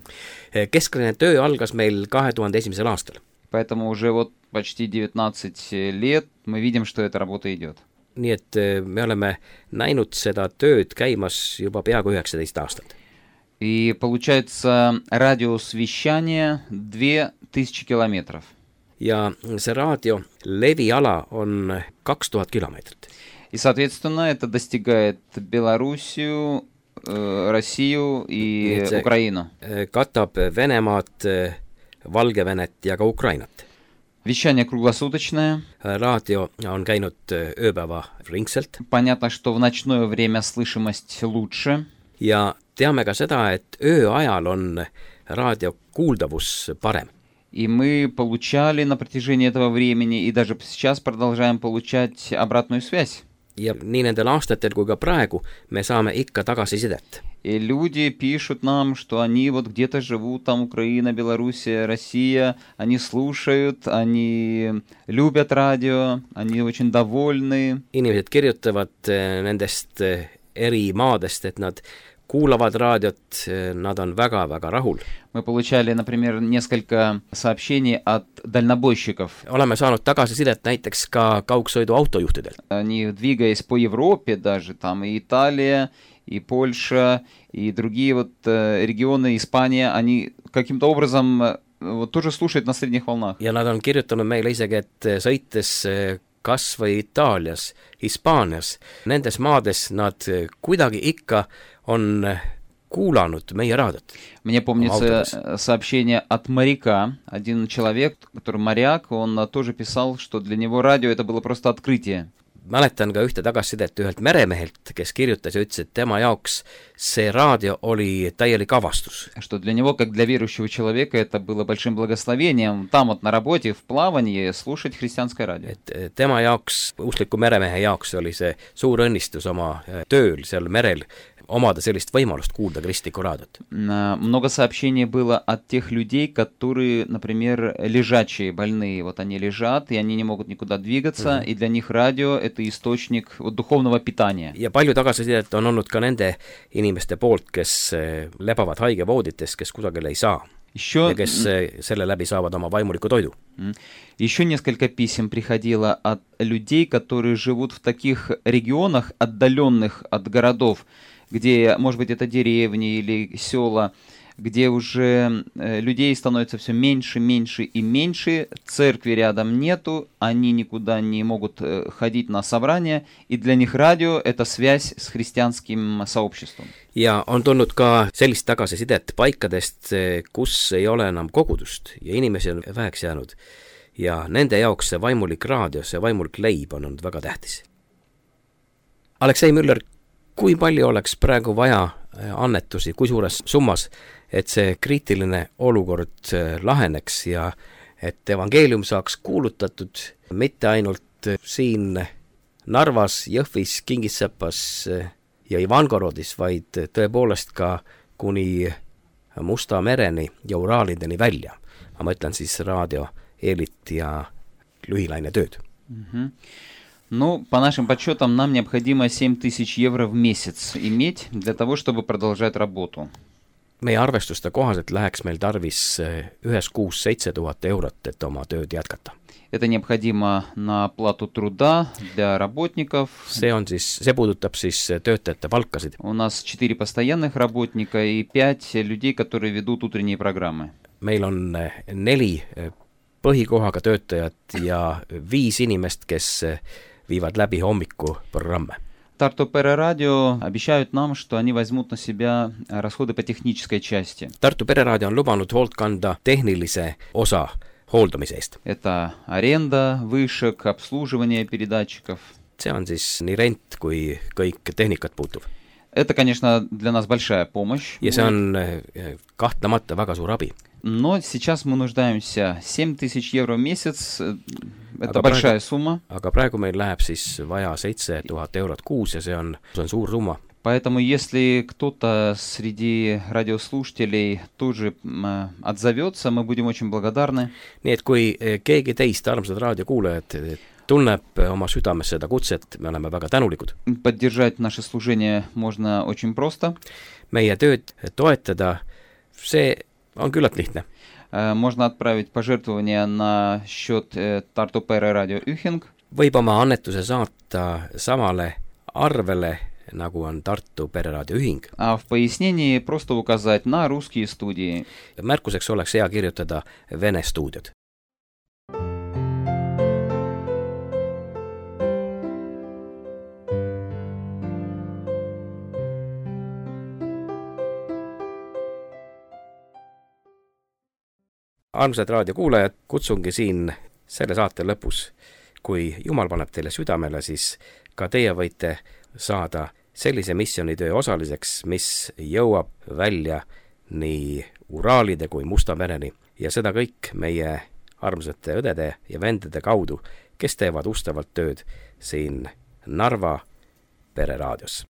Kesklaine töö algas meil 2001. aastal. Поэтому уже вот почти 19 лет мы видим, что эта работа идет. Nii et me oleme näinud seda tööd käimas juba peaaegu 19 aastat. И получается радиус вещания 2000 километров. Ja see raadio leviala on 2000 kilomeetrit. И, соответственно, это достигает Белоруссию, Россию и Украину. Katab Venemaad, Valgevenet ja ka Ukrainat. Вещание круглосуточное. Raadio on käinud ööpäeva ringselt. Понятно, что в ночное время слышимость лучше. Ja teame ka seda, et ööajal on raadio kuuldavus parem. И мы получали на протяжении этого времени, и даже сейчас продолжаем получать обратную связь. Ja nii nendel aastatel kui ka praegu me saame ikka tagasisidet. И люди пишут нам, что они вот где-то живут, там Украина, Белоруссия, Россия, они слушают, они любят радио, они очень довольны. Inimesed kirjutavad nendest eri maadest, et nad kuulavad raadiot, nad on väga-väga rahul. Мы получали, например, несколько сообщений от дальнобойщиков. Oleme saanud tagasisidet näiteks ka kaugsõiduautojuhtidelt. Они, двигаясь по Европе даже, там и Италия, и Польша, и другие вот регионы, Испания, они каким-то образом вот тоже слушают на средних волнах. Ja nad on kirjutanud meile isegi, et sõites kas või Itaalias, Hispaanias, nendes maades nad kuidagi ikka on kuulanud meie raadiot. Мне помнится сообщение от моряка. Один человек, который моряк, он тоже писал, что для него радио это было просто открытие. Mäletan ka ühte tagasisidet ühelt meremehelt, kes kirjutas ja ütles, et tema jaoks see raadio oli täielik avastus. Что для него, как для верующего человека, это было большим благословением там вот на работе, в плавании, слушать христианское радио. Et tema jaoks, uskliku meremehe jaoks oli see suur õnnistus oma tööl seal merel omada sellist võimalust kuulda kristlikku raadiot. Много сообщений было от тех людей, которые, например, лежачие, больные. Вот они лежат, и они не могут никуда двигаться, и для них радио – это источник вот, духовного питания. Ja palju tagasisidet on olnud ka nende inimeste poolt, kes lebavad haigevoodites, kes kusagil ei saa. Ja kes selle läbi saavad oma vaimuliku toidu. Еще несколько писем приходило от людей, которые живут в таких регионах, отдаленных от городов, где, может быть, это деревни или села, где уже людей становится все меньше, меньше и меньше, церкви рядом нету, они никуда не могут ходить на собрания, и для них радио – это связь с христианским сообществом. Ja on tulnud ka sellist tagasisidet paikadest, kus ei ole enam kogudust ja inimesi on väheks jäänud. Ja nende jaoks see vaimulik raadio, see vaimulik leib on olnud väga tähtis. Aleksei Müller, kui palju oleks praegu vaja annetusi, kui suures summas, et see kriitiline olukord laheneks ja et evangeelium saaks kuulutatud mitte ainult siin Narvas, Jõhvis, Kingissepas ja Ivangorodis, vaid tõepoolest ka kuni Musta mereni ja Uraalideni välja. Ma mõtlen siis raadio, eelit ja lühilaine tööd. Ну, по нашим подсчетам, нам необходимо 7000 евро в месяц иметь для того, чтобы продолжать работу. Meie arvestuste kohaselt läheks meil tarvis ühes kuus 7000 eurot, et oma tööd jätkata. Это необходимо на оплату труда для работников. See puudutab siis töötajate palkasid. У нас 4 постоянных работника и 5 людей, которые ведут утренние программы. Meil on 4 põhikohaga töötajat ja 5 inimest, kes viivad läbi hommiku programme. Tartu Pereraadio обещают нам, что они возьмут на себя расходы по технической части. Tartu Pereraadio on lubanud hoolt kanda tehnilise osa hooldamise eest. Это аренда вышек, обслуживание передатчиков. See on siis nii rent kui kõik tehnikat puutuv. Это, конечно, для нас большая помощь. Ja see on kahtlemata väga suur abi. Но сейчас мы нуждаемся 7000 евро в месяц. Это большая сумма. Aga praegu meil läheb siis vaja 7000 eurot kuus ja see on suur summa. Поэтому, если кто-то среди радиослушателей тоже отзовется, мы будем очень благодарны. Nii et kui keegi teist, armsad raadiokuulajad, tunneb oma südames seda kutset, me oleme väga tänulikud. Поддержать наше служение можно очень просто. Meie tööd toetada, see on küllalt lihtne. Можно отправить пожертвования на счет Tartu Pereraadio Ühing. Võib oma annetuse saata samale arvele, nagu on Tartu Pereraadio Ühing. А в пояснении просто указать на русские студии. Märkuseks oleks hea kirjutada Vene stuudiod. Armsad raadiokuulajad, kutsungi siin selle saate lõpus. Kui Jumal paneb teile südamele, siis ka teie võite saada sellise missioonitöö osaliseks, mis jõuab välja nii Uraalide kui Musta mereni. Ja seda kõik meie armsate õdede ja vendede kaudu, kes teevad ustavalt tööd siin Narva Pereraadios.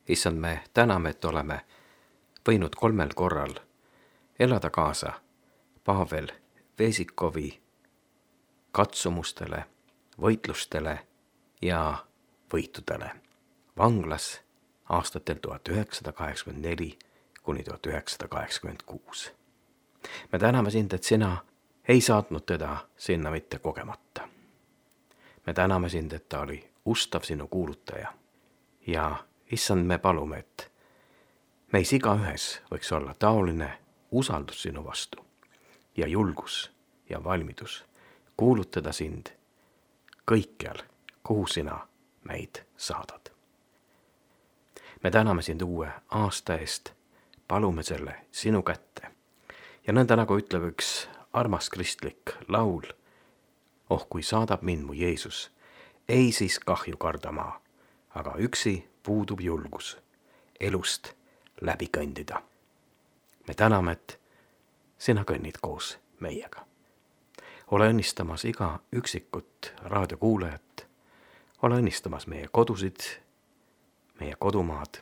issand, me täname, et oleme võinud 3 korral elada kaasa Pavel Vesikovi katsumustele, võitlustele ja võitudele vanglas aastatel 1984 kuni 1986. Me täname sind, et sina ei saatnud teda sinna mitte kogemata. Me täname sind, et ta oli ustav sinu kuulutaja. Ja issand, me palume, et meis igaühes võiks olla taoline usaldus sinu vastu ja julgus ja valmidus kuulutada sind kõikjal, kuhu sina meid saadad. Me täname sind uue aasta eest, palume selle sinu kätte. Ja nõnda nagu ütleb üks armas kristlik laul, oh kui saadab mind mu Jeesus, ei siis kahju karda ma, aga üksi puudub julgus elust läbi kõndida. Me täname, et sina kõnnid koos meiega. Ole õnnistamas iga üksikut raadiokuulajat, ole õnnistamas meie kodusid, meie kodumaad.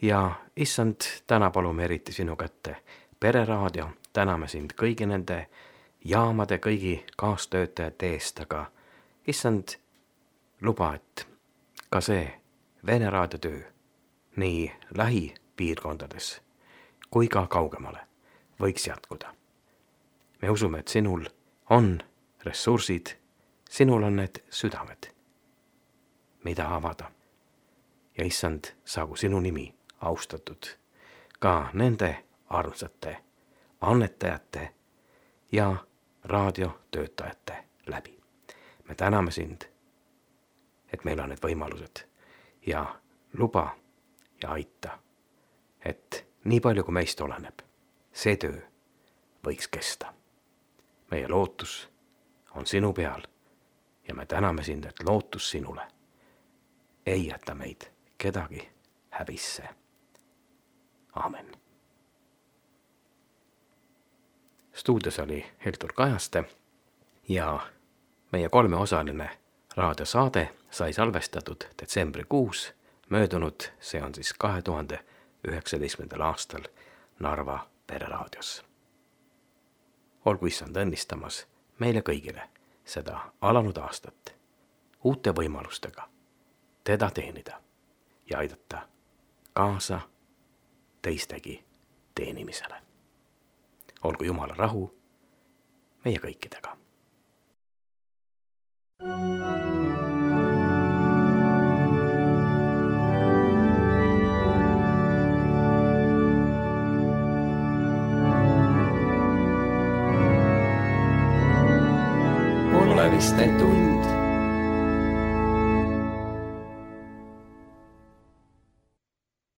Ja issand, täna palume eriti sinu kätte Pereraadio, täname sind kõigi nende jaamade, kõigi kaastöötajate eest, aga issand, luba, et ka see Vene raadiotöö nii lähipiirkondades kui ka kaugemale võiks jätkuda. Me usume, et sinul on ressursid, sinul on need südamed, mida avada. Ja issand, saagu sinu nimi austatud ka nende armsate annetajate ja raadiotöötajate läbi. Me täname sind, et meil on need võimalused ja luba ja aita, et nii palju kui meist oleneb, see töö võiks kesta. Meie lootus on sinu peal ja me täname sind, et lootus sinule ei jäta meid kedagi häbisse. Aamen. Stuudios oli Heldur Kajaste ja meie 3-osaline raadiosaade sai salvestatud detsembrikuus möödunud, see on siis 2019. aastal Narva Pereraadios. Olgu issand õnnistamas meile kõigile seda alanud aastat uute võimalustega teda teenida ja aidata kaasa teistegi teenimisele. Olgu Jumala rahu meie kõikidega. Oleviste tund.